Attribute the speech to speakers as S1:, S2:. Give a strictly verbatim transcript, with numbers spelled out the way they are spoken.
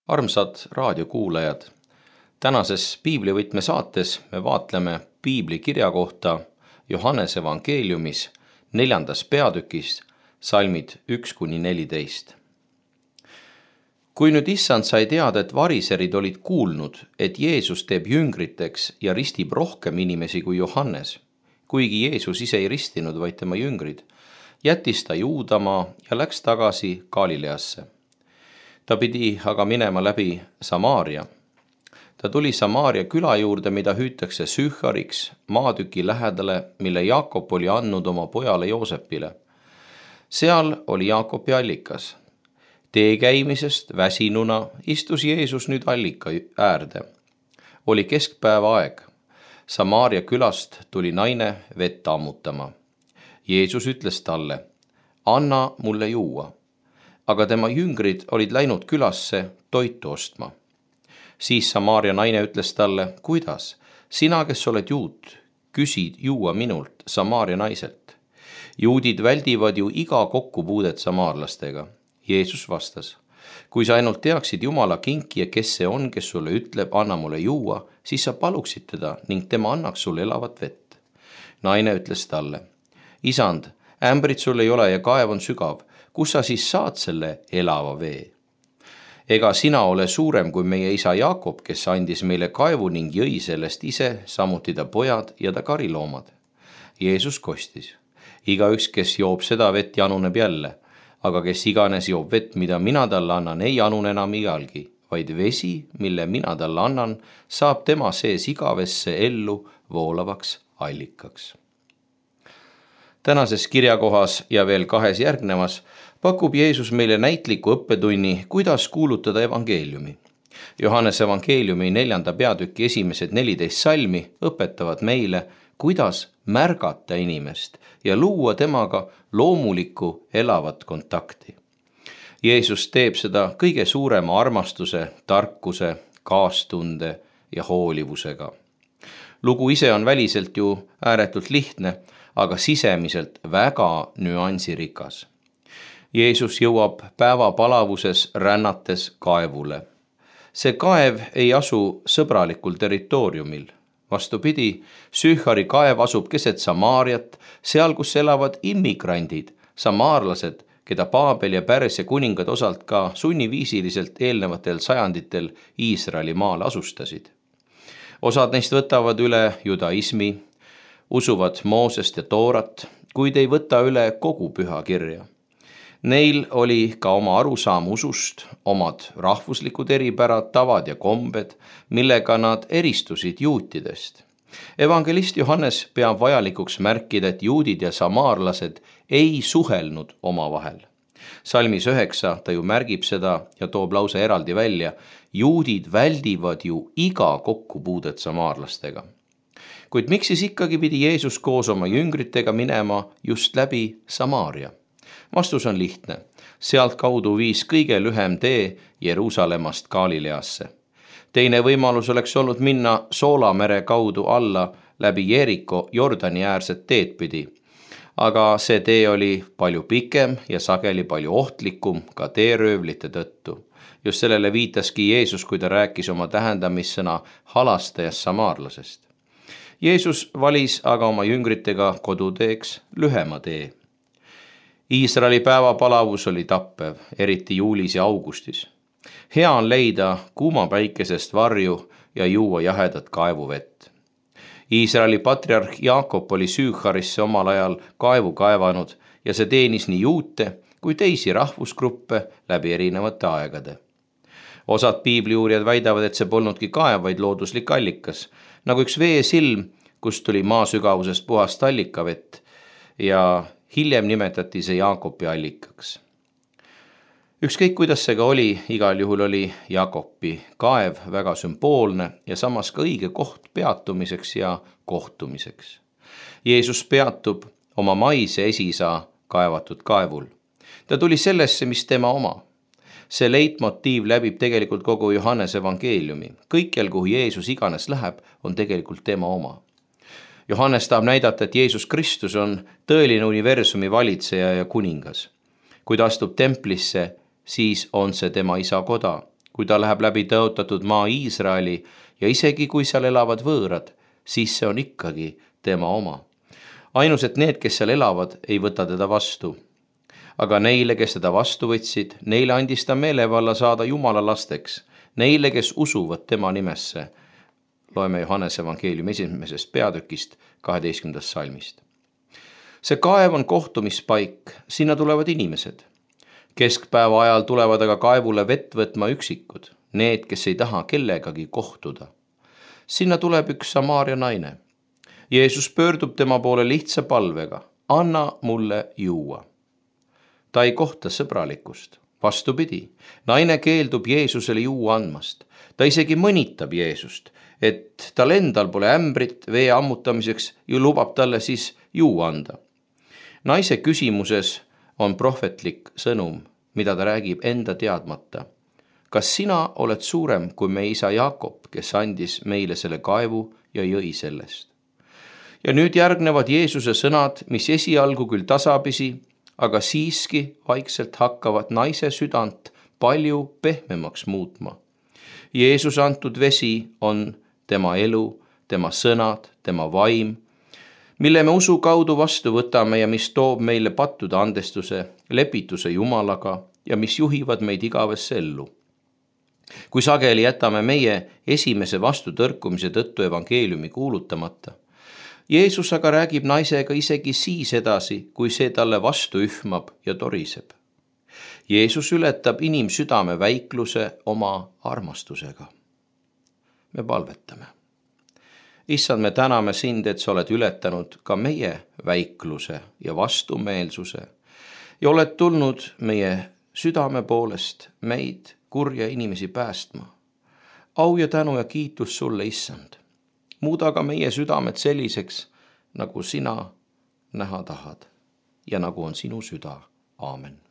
S1: Armsad raadiokuulajad, tänases piiblivõtme saates me vaatleme piibli kirja kohta Johannese evangeeliumis neljandas peatükis salmid üks kuni neliteist. Kui nüüd issand sai teada, et variserid olid kuulnud, et Jeesus teeb jüngriteks ja ristib rohkem inimesi kui Johannes, kuigi Jeesus ise ei ristinud, vaid tema jüngrid, jättis ta Juudamaa ja läks tagasi Galileasse. Ta pidi aga minema läbi Samaaria. Ta tuli Samaaria küla juurde, mida hüütakse Sühhariks, maatüki lähedale, mille Jaakob oli andnud oma pojale Joosepile. Seal oli Jaakobi allikas. Tee käimisest väsinuna istus Jeesus nüüd allika äärde. Oli keskpäeva aeg. Samaaria külast tuli naine vett ammutama. Jeesus ütles talle, anna mulle juua. Aga tema jüngrid olid läinud külasse toitu ostma. Siis Samaaria naine ütles talle, kuidas? Sina, kes oled juut, küsid juua minult, Samaaria naiselt. Juudid väldivad ju iga kokkupuudet samaarlastega. Jeesus vastas, kui sa ainult teaksid Jumala kinkija, kes see on, kes sulle ütleb, anna mulle juua, siis sa paluksid teda ning tema annaks sulle elavat vett. Naine ütles talle, isand, ämbrit sul ei ole ja kaev on sügav, kus sa siis saad selle elava vee? Ega sina ole suurem kui meie isa Jaakob, kes andis meile kaevu ning jõi sellest ise, samuti ta pojad ja ta kariloomad. Jeesus kostis, igaüks, kes joob seda vett, januneb jälle, aga kes iganes joob vett, mida mina talle annan, ei janun enam igalgi, vaid vesi, mille mina talle annan, saab tema sees igavesse ellu voolavaks allikaks. Tänases kirjakohas ja veel kahes järgnevas pakub Jeesus meile näitliku õppetunni, kuidas kuulutada evangeeliumi. Johannese evangeeliumi neljanda peatüki esimesed neliteist salmi õpetavad meile, kuidas märgata inimest ja luua temaga loomulikku elavat kontakti. Jeesus teeb seda kõige suurema armastuse, tarkuse, kaastunde ja hoolivusega. Lugu ise on väliselt ju ääretult lihtne, aga sisemiselt väga nüansirikas. Jeesus jõuab päeva palavuses rännates kaevule. See kaev ei asu sõbralikul territooriumil. Vastupidi, Sühhari kaev asub keset Samaariat, seal kus elavad immigrandid, samaarlased, keda Paabel ja Pärsia kuningad osalt ka sunniviisiliselt eelnevatel sajanditel Iisraeli maale asustasid. Osad neist võtavad üle judaismi, usuvad Moosest ja Toorat, kuid ei võta üle kogu püha kirja. Neil oli ka oma arusaam usust, omad rahvuslikud eripärad, tavad ja kombed, millega nad eristusid juutidest. Evangelist Johannes peab vajalikuks märkida, et juudid ja samaarlased ei suhelnud omavahel. Salmis üheksa ta ju märgib seda ja toob lause eraldi välja, juudid väldivad ju iga kokkupuudet samaarlastega. Kuid miks siis ikkagi pidi Jeesus koos oma jüngritega minema just läbi Samaaria? Vastus on lihtne. Sealt kaudu viis kõige lühem tee Jeruusalemmast Galileasse. Teine võimalus oleks olnud minna Soolamere kaudu alla läbi Jeeriko Jordani äärset teed pidi. Aga see tee oli palju pikem ja sageli palju ohtlikum ka teeröövlite tõttu. Just sellele viitaski Jeesus, kui ta rääkis oma tähendamissõna halastajast samaarlasest. Jeesus valis aga oma jüngritega koduteeks lühema tee. Iisraeli päevapalavus oli tappev, eriti juulis ja augustis. Hea on leida kuuma päikesest varju ja juua jahedat kaevuvett. Iisraeli patriarh Jaakob oli Sühharisse omal ajal kaevu kaevanud ja see teenis nii juute kui teisi rahvusgruppe läbi erinevate aegade. Osad piibliuurijad väidavad, et see polnudki kaev, vaid looduslik allikas, nagu üks veesilm, kust tuli maa sügavusest puhast allikavett ja hiljem nimetati see Jaakobi allikaks. Ükskõik kuidas see ka oli, igal juhul oli Jaakobi kaev väga sümboolne ja samas ka õige koht peatumiseks ja kohtumiseks. Jeesus peatub oma maise esiisa kaevatud kaevul. Ta tuli sellesse, mis tema oma. See leitmotiiv läbib tegelikult kogu Johannese evangeeliumi. Kõikjal, kuhu Jeesus iganes läheb, on tegelikult tema oma. Johannes tahab näidata, et Jeesus Kristus on tõeline universumi valitseja ja kuningas. Kui ta astub templisse, siis on see tema isa koda. kui ta läheb läbi tõotatud maa Iisraeli ja isegi kui seal elavad võõrad, siis see on ikkagi tema oma. Ainus, et need, kes seal elavad, ei võta teda vastu. Aga neile, kes teda vastu võtsid, neile andis ta meelevalla saada Jumala lasteks, neile, kes usuvad tema nimesse. Loeme Johannese evangeeliumi esimesest peatükist kaheteistkümnendast salmist. See kaev on kohtumispaik, sinna tulevad inimesed. Keskpäeva ajal tulevad aga kaevule vett võtma üksikud, need, kes ei taha kellegagi kohtuda. Sinna tuleb üks Samaaria naine. Jeesus pöördub tema poole lihtsa palvega, anna mulle juua. Ta ei kohta sõbralikkust, vastupidi, naine keeldub Jeesusele juua andmast. Ta isegi mõnitab Jeesust, et tal endal pole ämbrit vee ammutamiseks ja lubab talle siis juua anda. Naise küsimuses on prohvetlik sõnum, mida ta räägib enda teadmata. Kas sina oled suurem kui meie isa Jaakob, kes andis meile selle kaevu ja jõi sellest? Ja nüüd järgnevad Jeesuse sõnad, mis esialgu küll tasapisi, aga siiski vaikselt hakkavad naise südant palju pehmemaks muutma. Jeesus antud vesi on tema elu, tema sõnad, tema vaim, mille me usu kaudu vastu võtame ja mis toob meile pattude andestuse, lepituse Jumalaga ja mis juhivad meid igavesse ellu. Kui sageli jätame meie esimese vastutõrkumise tõttu evangeeliumi kuulutamata, Jeesus aga räägib naisega isegi siis edasi, kui see talle vastu ühmab ja toriseb. Jeesus ületab inimsüdame väikluse oma armastusega. Me palvetame. Issand, me täname sind, et sa oled ületanud ka meie väikluse ja vastumeelsuse ja oled tulnud meie südame poolest meid kurja inimesi päästma. Au ja tänu ja kiitus sulle, Issand. Muuda ka meie südamed selliseks, nagu sina näha tahad ja nagu on sinu süda. Aamen.